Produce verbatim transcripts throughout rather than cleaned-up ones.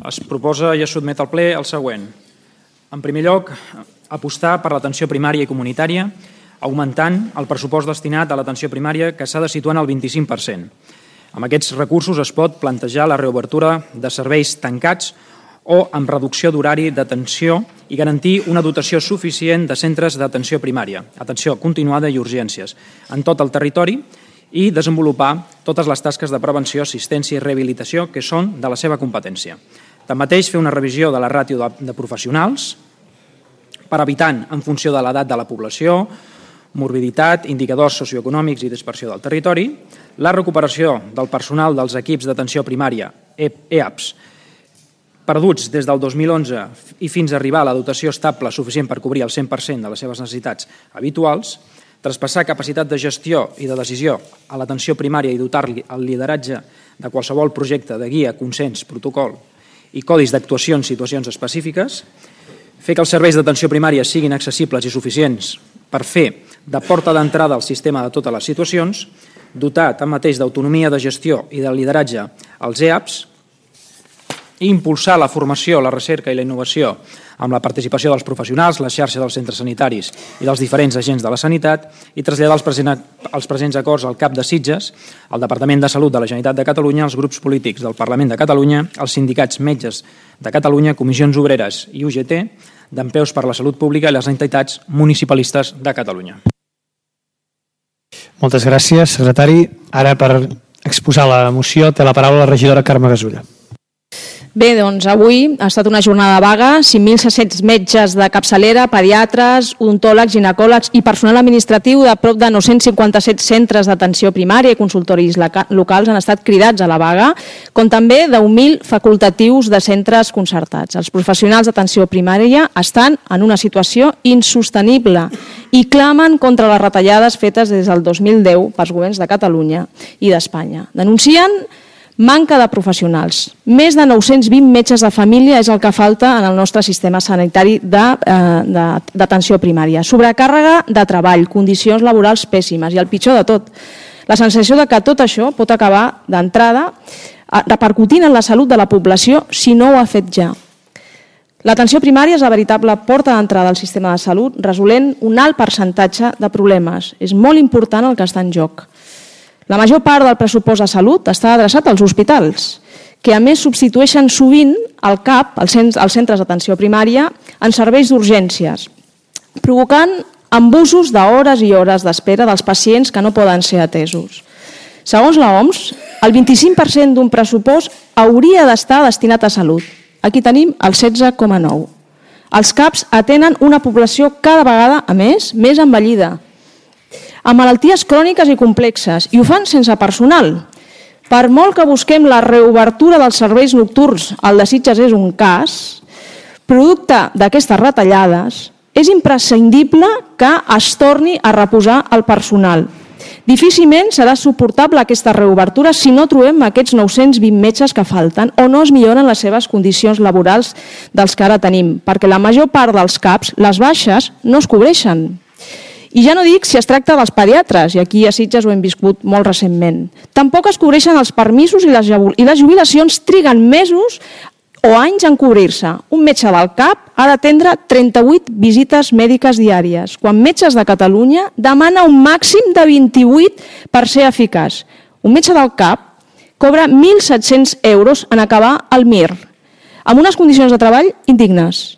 Es proposa i es sotmet al ple el següent. En primer lloc, apostar per l'atenció primària i comunitària, augmentant el pressupost destinat a l'atenció primària, que s'ha de situar en el vint-i-cinc per cent. Amb aquests recursos es pot plantejar la reobertura de serveis tancats o amb reducció d'horari d'atenció i garantir una dotació suficient de centres d'atenció primària, atenció continuada i urgències, en tot el territori i desenvolupar totes les tasques de prevenció, assistència i rehabilitació que són de la seva competència. Tanmateix, fer una revisió de la ràtio de professionals per evitant, en funció de l'edat de la població, morbiditat, indicadors socioeconòmics i dispersió del territori, la recuperació del personal dels equips d'atenció primària, E A P S, perduts des del dos mil onze i fins a arribar a la dotació estable suficient per cobrir el cent per cent de les seves necessitats habituals, traspassar capacitat de gestió i de decisió a l'atenció primària i dotar-li el lideratge de qualsevol projecte de guia, consens, protocol i codis d'actuació en situacions específiques, fer que els serveis d'atenció primària siguin accessibles i suficients per fer de porta d'entrada al sistema de totes les situacions, dotar tanmateix d'autonomia de gestió i de lideratge als E A P S, i impulsar la formació, la recerca i la innovació amb la participació dels professionals, la xarxa dels centres sanitaris i dels diferents agents de la sanitat i traslladar els, present, els presents acords al cap de Sitges, al Departament de Salut de la Generalitat de Catalunya, als grups polítics del Parlament de Catalunya, als sindicats metges de Catalunya, comissions obreres i U G T, d'Empeus per la Salut Pública i les entitats municipalistes de Catalunya. Moltes gràcies, secretari. Ara, per exposar la moció, té la paraula la regidora Carme Gasulla. Bé, doncs avui ha estat una jornada vaga, cinc mil set-cents metges de capçalera, pediatres, odontòlegs, ginecòlegs i personal administratiu de prop de nou-cents cinquanta-set centres d'atenció primària i consultoris locals han estat cridats a la vaga, com també deu mil facultatius de centres concertats. Els professionals d'atenció primària estan en una situació insostenible i clamen contra les retallades fetes des del dos mil deu pels governs de Catalunya i d'Espanya. Denuncien manca de professionals. Més de nou-cents vint metges de família és el que falta en el nostre sistema sanitari d'atenció primària. Sobrecàrrega de treball, condicions laborals pèssimes i el pitjor de tot, la sensació de que tot això pot acabar d'entrada repercutint en la salut de la població si no ho ha fet ja. L'atenció primària és la veritable porta d'entrada al sistema de salut, resolent un alt percentatge de problemes. És molt important el que està en joc. La major part del pressupost de salut està adreçat als hospitals, que a més substitueixen sovint el C A P, els centres d'atenció primària, en serveis d'urgències, provocant abusos d'hores i hores d'espera dels pacients que no poden ser atesos. Segons l'O M S, el vint-i-cinc per cent d'un pressupost hauria d'estar destinat a salut. Aquí tenim el setze coma nou. Els C A Ps atenen una població cada vegada, a més, més envellida, amb malalties cròniques i complexes, i ho fan sense personal. Per molt que busquem la reobertura dels serveis nocturns, el de Sitges és un cas, producte d'aquestes retallades, és imprescindible que es torni a reposar el personal. Difícilment serà suportable aquesta reobertura si no trobem aquests nou-cents vint metges que falten o no es milloren les seves condicions laborals dels que ara tenim, perquè la major part dels C A Ps, les baixes, no es cobreixen. I ja no dic si es tracta dels pediatres, i aquí a Sitges ho hem viscut molt recentment. Tampoc es cobreixen els permisos i les jubilacions triguen mesos o anys en cobrir-se. Un metge del C A P ha d'atendre trenta-vuit visites mèdiques diàries, quan Metges de Catalunya demana un màxim de vint-i-vuit per ser eficaç. Un metge del C A P cobra mil set-cents euros en acabar el M I R, amb unes condicions de treball indignes.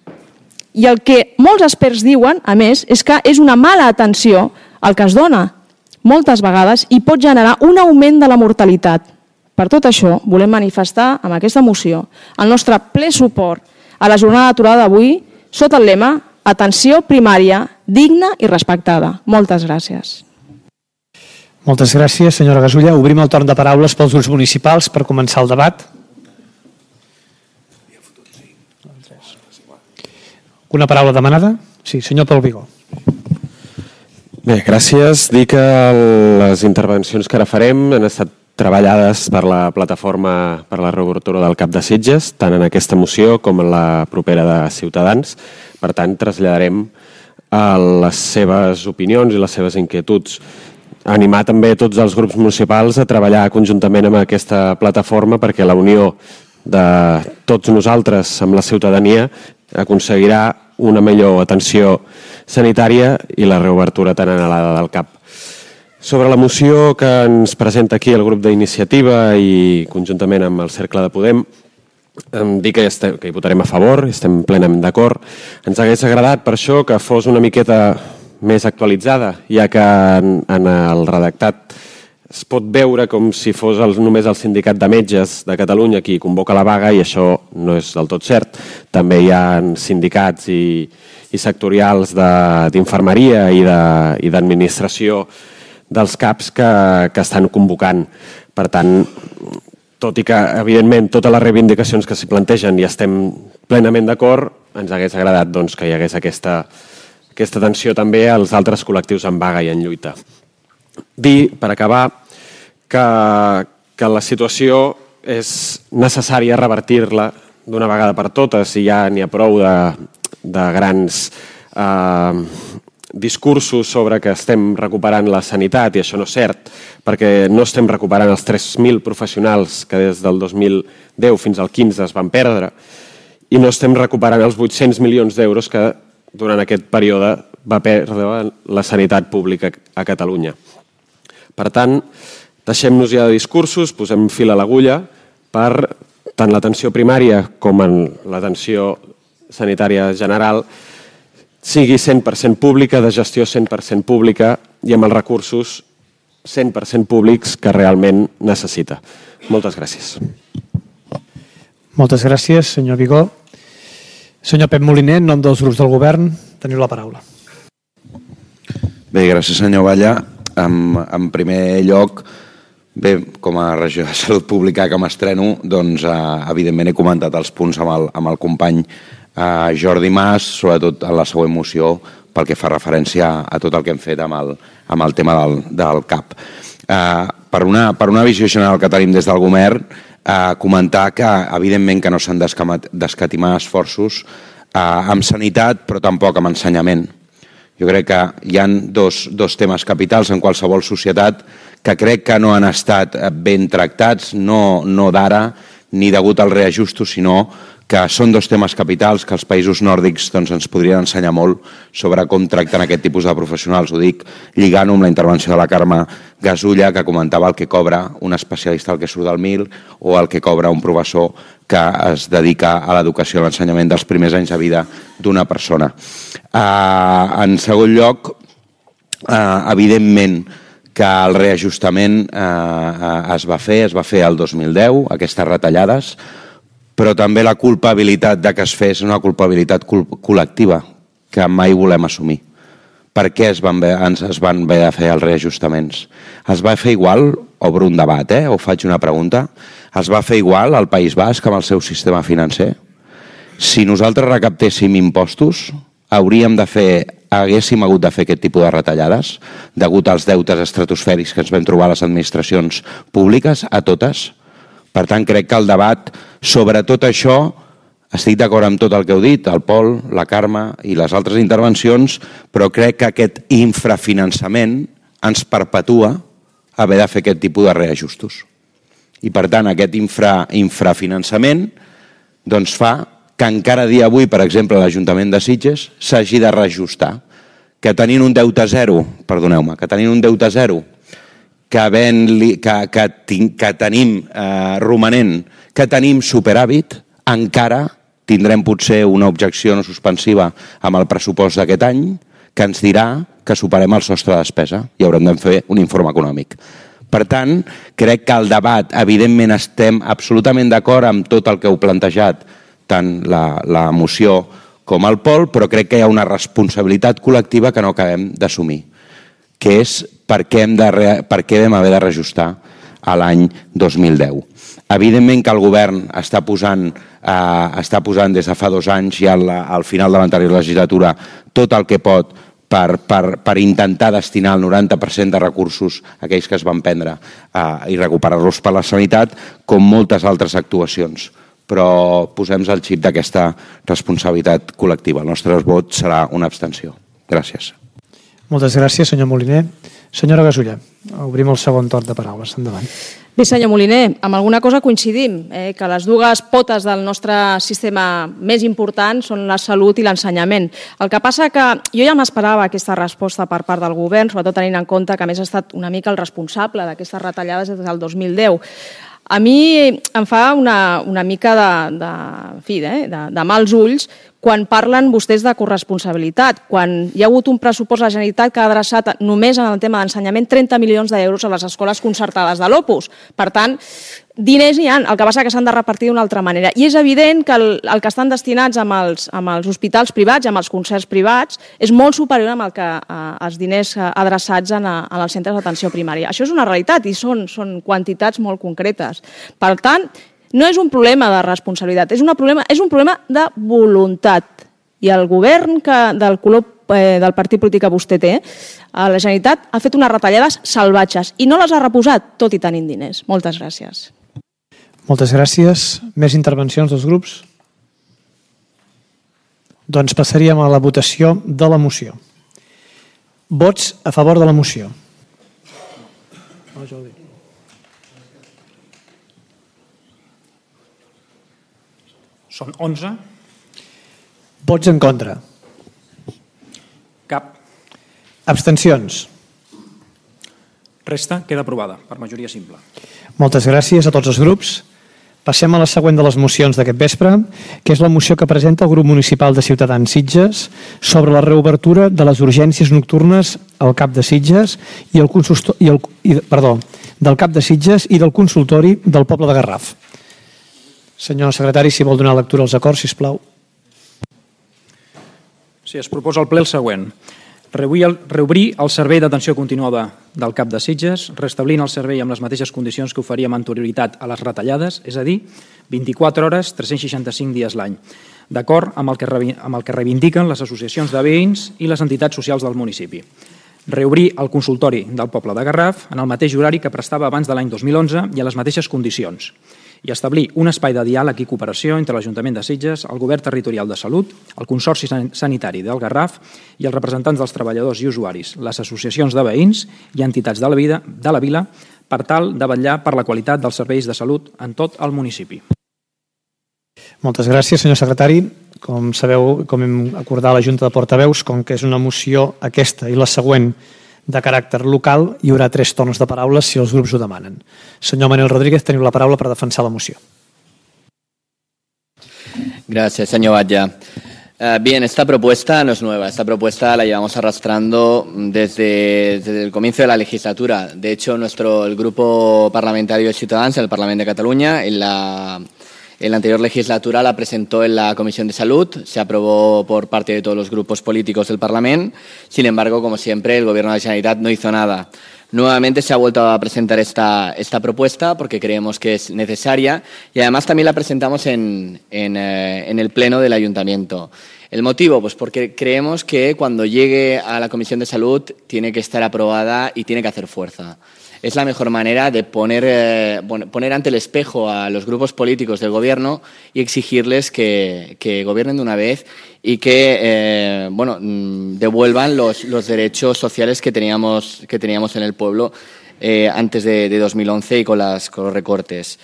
I el que molts experts diuen, a més, és que és una mala atenció el que es dona moltes vegades i pot generar un augment de la mortalitat. Per tot això, volem manifestar amb aquesta moció el nostre ple suport a la jornada d'aturada d'avui sota el lema Atenció primària digna i respectada. Moltes gràcies. Moltes gràcies, senyora Gasulla. Obrim el torn de paraules pels grups municipals per començar el debat. Una paraula demanada? Sí, senyor Pol Vigó. Bé, gràcies. Dir que les intervencions que ara farem han estat treballades per la plataforma per la reobertura del C A P de Sitges, tant en aquesta moció com en la propera de Ciutadans. Per tant, traslladarem les seves opinions i les seves inquietuds. Animar també tots els grups municipals a treballar conjuntament amb aquesta plataforma perquè la unió de tots nosaltres amb la ciutadania aconseguirà una millor atenció sanitària i la reobertura tan anhelada del C A P. Sobre la moció que ens presenta aquí el grup d'Iniciativa i conjuntament amb el Cercle de Podem, em dic que, estem, que hi votarem a favor, estem plenament d'acord. Ens hagués agradat per això que fos una miqueta més actualitzada, ja que en, en el redactat es pot veure com si fos el, només el Sindicat de Metges de Catalunya qui convoca la vaga, i això no és del tot cert. També hi ha sindicats i, i sectorials d'infermeria i d'administració dels C A Ps que, que estan convocant. Per tant, tot i que, evidentment, totes les reivindicacions que s'hi plantegen i estem plenament d'acord, ens hagués agradat doncs, que hi hagués aquesta, aquesta atenció també als altres col·lectius en vaga i en lluita. Dir, per acabar, que, que la situació és necessària revertir-la d'una vegada per totes i ja n'hi ha prou de, de grans eh, discursos sobre que estem recuperant la sanitat, i això no és cert, perquè no estem recuperant els tres mil professionals que des del dos mil deu fins al quinze es van perdre, i no estem recuperant els vuit-cents milions d'euros que durant aquest període va perdre la sanitat pública a Catalunya. Per tant, deixem-nos ja de discursos, posem fil a l'agulla per tant l'atenció primària com en l'atenció sanitària general sigui cent per cent pública, de gestió cent per cent pública i amb els recursos cent per cent públics que realment necessita. Moltes gràcies. Moltes gràcies, senyor Vigó. Senyor Pep Moliner, en nom dels grups del govern, teniu la paraula. Bé, gràcies, senyor Valla. En, en primer lloc, bé, com a regió de Salut Pública que m'estreno, doncs, eh, evidentment he comentat els punts amb el, amb el company eh, Jordi Mas, sobretot en la següent moció, pel que fa referència a tot el que hem fet amb el, amb el tema del, del C A P. Eh, per, una, per una visió general que tenim des del govern, eh, comentar que, evidentment, que no s'han d'escatimar esforços eh, amb sanitat, però tampoc amb ensenyament. Jo crec que hi ha dos, dos temes capitals en qualsevol societat que crec que no han estat ben tractats, no, no d'ara ni degut als reajustos, sinó que són dos temes capitals que els països nòrdics doncs, ens podrien ensenyar molt sobre com tracten aquest tipus de professionals. Ho dic lligant amb la intervenció de la Carme Gasulla, que comentava el que cobra un especialista al que surt del mil o el que cobra un professor que es dedica a l'educació i l'ensenyament dels primers anys de vida d'una persona. Uh, en segon lloc, uh, evidentment que el reajustament uh, es va fer, es va fer el dos mil deu, aquestes retallades, però també la culpabilitat de que es fes una culpabilitat col·lectiva que mai volem assumir. Per què es van, ens es van haver de fer els reajustaments? Es va fer igual, obro un debat, eh? o faig una pregunta, es va fer igual al País Basc amb el seu sistema financer? Si nosaltres recaptéssim impostos, hauríem de fer, haguéssim hagut de fer aquest tipus de retallades degut als deutes estratosfèrics que ens vam trobar a les administracions públiques, a totes. Per tant, crec que el debat sobre tot això, estic d'acord amb tot el que heu dit, el Pol, la Carme i les altres intervencions, però crec que aquest infrafinançament ens perpetua haver de fer aquest tipus de reajustos. I per tant, aquest infra, infrafinançament doncs fa que encara a dia d'avui, per exemple, l'Ajuntament de Sitges s'hagi de reajustar. Que tenint un deute zero, perdoneu-me, que tenint un deute zero, que, ben, que, que, que tenim eh, romanent, que tenim superàvit, encara tindrem potser una objecció no suspensiva amb el pressupost d'aquest any que ens dirà que superem el sostre de despesa i haurem de fer un informe econòmic. Per tant, crec que el debat, evidentment estem absolutament d'acord amb tot el que heu plantejat, tant la, la moció com el Pol, però crec que hi ha una responsabilitat col·lectiva que no acabem d'assumir, que és per què, hem de, per què vam haver de reajustar a l'any dos mil deu. Evidentment que el govern està posant, eh, està posant des de fa dos anys i al, al final de l'anterior legislatura tot el que pot per, per, per intentar destinar el noranta per cent de recursos aquells que es van prendre eh, i recuperar-los per la sanitat, com moltes altres actuacions. Però posem el xip d'aquesta responsabilitat col·lectiva. El nostre vot serà una abstenció. Gràcies. Moltes gràcies, senyor Moliner. Senyora Gasulla, obrim el segon torn de paraules. Endavant. Bé, senyor Moliner, amb alguna cosa coincidim, eh, que les dues potes del nostre sistema més importants són la salut i l'ensenyament. El que passa que jo ja m'esperava aquesta resposta per part del govern, sobretot tenint en compte que a més ha estat una mica el responsable d'aquestes retallades des del dos mil deu. A mi em fa una, una mica de, de, en fi, de, de, de mals ulls quan parlen vostès de corresponsabilitat, quan hi ha hagut un pressupost de la Generalitat que ha adreçat només en el tema d'ensenyament trenta milions d'euros a les escoles concertades de l'Opus. Per tant, diners hi ha, el que passa que s'han de repartir d'una altra manera. I és evident que el, el que estan destinats amb els, amb els hospitals privats, amb els concerts privats, és molt superior amb el que, eh, els diners adreçats en, a, en els centres d'atenció primària. Això és una realitat i són, són quantitats molt concretes. Per tant, no és un problema de responsabilitat, és, una problema, és un problema de voluntat. I el govern que, del color eh, del partit polític que vostè té, a la Generalitat ha fet unes retallades salvatges i no les ha reposat, tot i tenint diners. Moltes gràcies. Moltes gràcies. Més intervencions dels grups? Doncs passaríem a la votació de la moció. Vots a favor de la moció. Oh, Jordi. Són onze. Vots en contra. Cap. Abstencions. Resta queda aprovada per majoria simple. Moltes gràcies a tots els grups. Passem a la següent de les mocions d'aquest vespre, que és la moció que presenta el grup municipal de Ciutadans Sitges sobre la reobertura de les urgències nocturnes al CAP de Sitges i el consultor, i el, i, perdó, del CAP de Sitges i del consultori del poble de Garraf. Senyor secretari, si vol donar lectura als acords, sisplau. Sí, es proposa al ple el següent. Reobrir el servei d'atenció continuada del CAP de Sitges, restablint el servei amb les mateixes condicions que oferia amb anterioritat a les retallades, és a dir, vint-i-quatre hores, tres-cents seixanta-cinc dies l'any, d'acord amb el que amb el que reivindiquen les associacions de veïns i les entitats socials del municipi. Reobrir el consultori del poble de Garraf en el mateix horari que prestava abans de l'any dos mil onze i a les mateixes condicions, i establir un espai de diàleg i cooperació entre l'Ajuntament de Sitges, el Govern Territorial de Salut, el Consorci Sanitari del Garraf i els representants dels treballadors i usuaris, les associacions de veïns i entitats de la, vida, de la vila, per tal de vetllar per la qualitat dels serveis de salut en tot el municipi. Moltes gràcies, senyor secretari. Com sabeu, com hem acordat a la Junta de Portaveus, com que és una moció aquesta i la següent de caràcter local, hi haurà tres torns de paraules si els grups ho demanen. Senyor Manel Rodríguez, teniu la paraula per defensar la moció. Gracias, señor Batlle. Uh, bien, esta propuesta no es nueva. Esta propuesta la llevamos arrastrando desde, desde el comienzo de la legislatura. De hecho, nuestro el grupo parlamentario de Ciutadans en el Parlamento de Cataluña, en la, en la anterior legislatura, la presentó en la Comisión de Salud. Se aprobó por parte de todos los grupos políticos del Parlamento. Sin embargo, como siempre, el Gobierno de la Generalitat no hizo nada. Nuevamente se ha vuelto a presentar esta, esta propuesta porque creemos que es necesaria y además también la presentamos en, en, eh, en el Pleno del Ayuntamiento. ¿El motivo? Pues porque creemos que cuando llegue a la Comisión de Salud tiene que estar aprobada y tiene que hacer fuerza. Es la mejor manera de poner, eh, poner ante el espejo a los grupos políticos del Gobierno y exigirles que, que gobiernen de una vez y que eh, bueno, devuelvan los, los derechos sociales que teníamos, que teníamos en el pueblo eh, antes de, de dos mil once y con, las, con los recortes.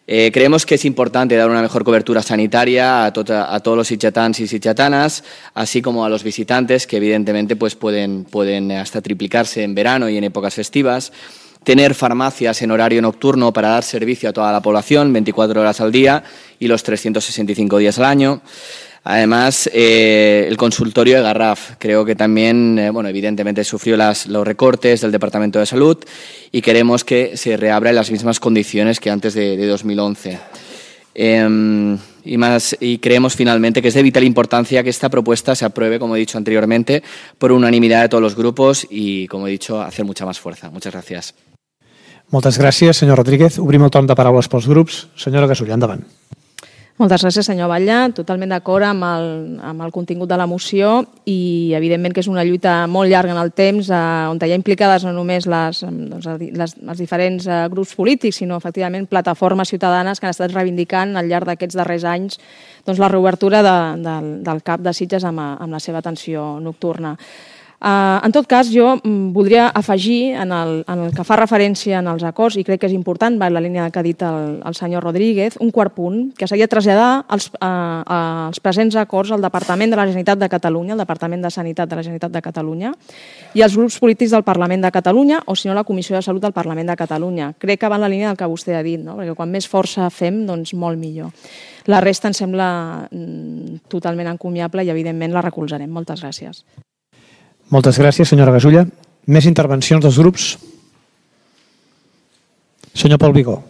Eh, creemos que es importante dar una mejor cobertura sanitaria a, to a todos los sitgetans y sitgetanas, así como a los visitantes, que evidentemente pues, pueden, pueden hasta triplicarse en verano y en épocas festivas. Tener farmacias en horario nocturno para dar servicio a toda la población, veinticuatro horas al día y los trescientos sesenta y cinco días al año. Además, eh, el consultorio de Garraf, creo que también, eh, bueno, evidentemente sufrió las, los recortes del Departamento de Salud y queremos que se reabra en las mismas condiciones que antes de, de dos mil once. Eh, y, más, y creemos finalmente que es de vital importancia que esta propuesta se apruebe, como he dicho anteriormente, por unanimidad de todos los grupos y, como he dicho, hacer mucha más fuerza. Muchas gracias. Moltes gràcies, senyor Rodríguez. Obrim el torn de paraules pels grups. Senyora Gasulla, endavant. Moltes gràcies, senyor Batlle. Totalment d'acord amb, el, amb el contingut de la moció i, evidentment, que és una lluita molt llarga en el temps, eh, on hi ha implicades no només les, doncs, les, els diferents eh, grups polítics, sinó, efectivament, plataformes ciutadanes que han estat reivindicant al llarg d'aquests darrers anys doncs, la reobertura de, de, del CAP de Sitges amb, amb la seva atenció nocturna. Uh, en tot cas, jo mm, voldria afegir en el, en el que fa referència en els acords, i crec que és important, va en la línia que ha dit el, el senyor Rodríguez, un quart punt, que seria traslladar els, uh, els presents acords al Departament de la Generalitat de Catalunya, al Departament de Sanitat de la Generalitat de Catalunya, i als grups polítics del Parlament de Catalunya, o si no, la Comissió de Salut del Parlament de Catalunya. Crec que va en la línia del que vostè ha dit, no? Perquè quan més força fem, doncs molt millor. La resta em sembla mm, totalment encomiable i, evidentment, la recolzarem. Moltes gràcies. Moltes gràcies, senyora Gasulla. Més intervencions dels grups? Senyor Pol Vigó.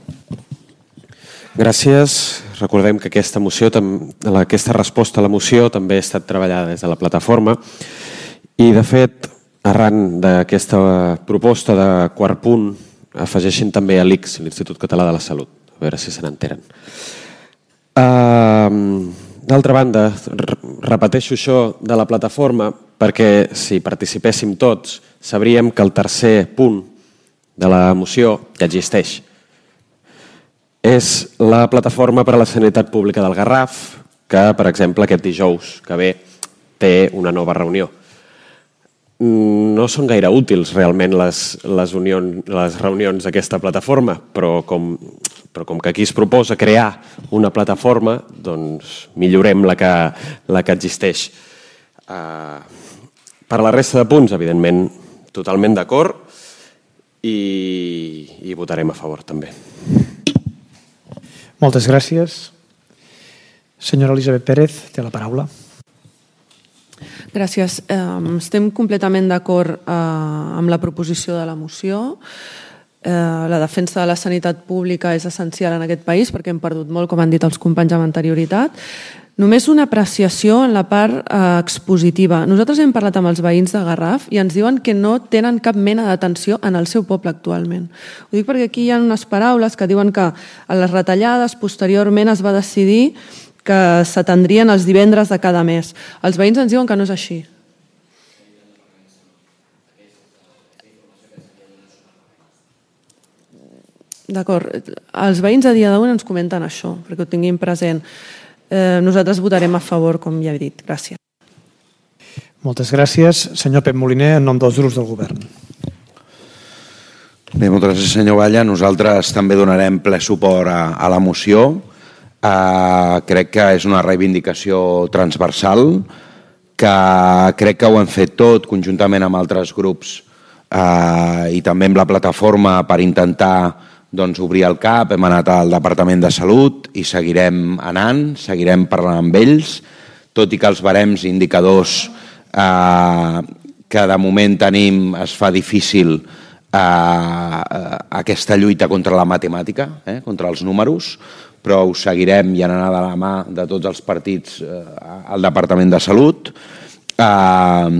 Gràcies. Recordem que aquesta moció, aquesta resposta a la moció també ha estat treballada des de la plataforma i, de fet, arran d'aquesta proposta de quart punt, afegeixin també a l'I C S, l'Institut Català de la Salut. A veure si se n'enteren. Uh, D'altra banda, repeteixo això de la plataforma perquè si participéssim tots sabríem que el tercer punt de la moció ja existeix. És la plataforma per a la sanitat pública del Garraf que, per exemple, aquest dijous que ve té una nova reunió. No són gaire útils realment les, les, unions, les reunions d'aquesta plataforma, però com, però com que aquí es proposa crear una plataforma, doncs millorem la que, la que existeix. Uh, per la resta de punts, evidentment, totalment d'acord i, i votarem a favor també. Moltes gràcies. Senyora Elisabet Pérez, té la paraula. Gràcies. Estem completament d'acord amb la proposició de la moció. La defensa de la sanitat pública és essencial en aquest país perquè hem perdut molt, com han dit els companys amb anterioritat. Només una apreciació en la part expositiva. Nosaltres hem parlat amb els veïns de Garraf i ens diuen que no tenen cap mena d'atenció en el seu poble actualment. Ho dic perquè aquí hi ha unes paraules que diuen que a les retallades posteriorment es va decidir que s'atendrien els divendres de cada mes. Els veïns ens diuen que no és així. D'acord. Els veïns a dia d'avui ens comenten això, perquè ho tinguin present. Eh, nosaltres votarem a favor, com ja he dit. Gràcies. Moltes gràcies. Senyor Pep Moliner, en nom dels grups del govern. Bé, moltes gràcies, senyor Batlle. Nosaltres també donarem ple suport a, a la moció. Uh, crec que és una reivindicació transversal, que crec que ho hem fet tot conjuntament amb altres grups uh, i també amb la plataforma per intentar doncs, obrir el cap. Hem anat al Departament de Salut i seguirem anant, seguirem parlant amb ells, tot i que els barems indicadors uh, que de moment tenim es fa difícil uh, aquesta lluita contra la matemàtica, eh, contra els números, però ho seguirem i anant de la mà de tots els partits eh, al Departament de Salut. Eh,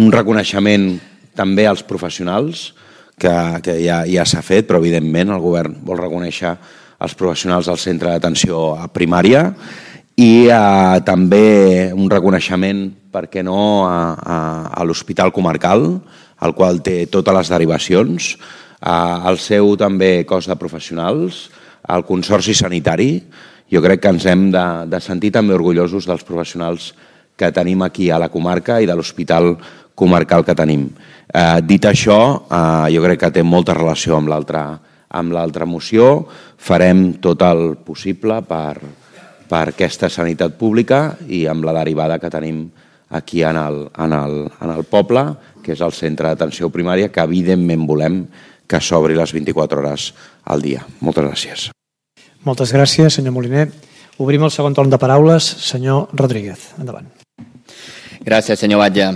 un reconeixement també als professionals, que, que ja, ja s'ha fet, però evidentment el govern vol reconèixer els professionals del centre d'atenció primària i eh, també un reconeixement, per què no, a, a, a l'Hospital Comarcal, el qual té totes les derivacions, eh, el seu també cos de professionals, al Consorci Sanitari. Jo crec que ens hem de, de sentir també orgullosos dels professionals que tenim aquí a la comarca i de l'hospital comarcal que tenim. Eh, dit això, eh, jo crec que té molta relació amb l'altra amb l'altra moció. Farem tot el possible per, per aquesta sanitat pública i amb la derivada que tenim aquí en el, en el, en el poble, que és el centre d'atenció primària, que evidentment volem que s'obri les vint-i-quatre hores al dia. Moltes gràcies. Moltes gràcies, senyor Moliner. Obrim el segon torn de paraules. Senyor Rodríguez, endavant. Gràcies, senyor Batlle.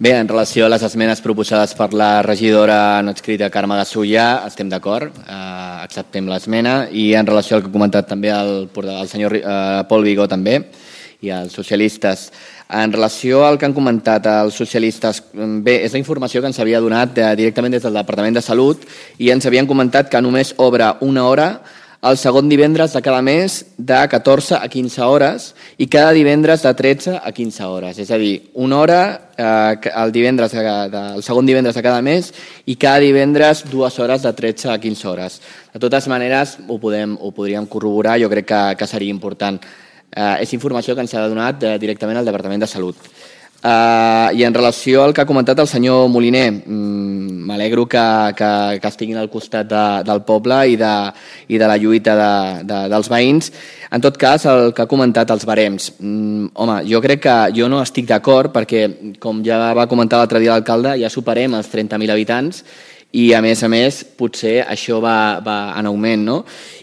Bé, en relació a les esmenes proposades per la regidora no adscrita Carme Gasulla, estem d'acord, eh, acceptem l'esmena, i en relació al que ha comentat també el, el senyor eh, Pol Vigó també, i els socialistes. En relació al que han comentat els socialistes, bé, és la informació que ens havia donat directament des del Departament de Salut i ens havien comentat que només obre una hora el segon divendres de cada mes de catorze a quinze hores i cada divendres de tretze a quinze hores. És a dir, una hora eh, el, divendres, el segon divendres de cada mes i cada divendres dues hores de tretze a quinze hores. De totes maneres, ho, podem, ho podríem corroborar, jo crec que, que seria important. Eh, és informació que ens ha donat eh, directament al Departament de Salut. Uh, I en relació al que ha comentat el senyor Moliner, um, m'alegro que, que, que estiguin al costat de, del poble i de, i de la lluita de, de, dels veïns. En tot cas, el que ha comentat els barems, um, home, jo crec que jo no estic d'acord perquè, com ja va comentar l'altre dia l'alcalde, ja superem els trenta mil habitants i, a més a més, potser això va, va en augment, no?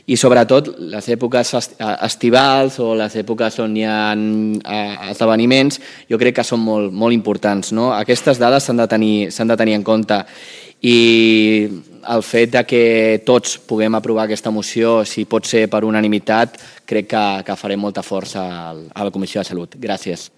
I, sobretot, les èpoques estivals o les èpoques on hi ha esdeveniments, jo crec que són molt, molt importants, no? Aquestes dades s'han de tenir, s'han de tenir en compte i el fet de que tots puguem aprovar aquesta moció, si pot ser per unanimitat, crec que, que farem molta força a la Comissió de Salut. Gràcies.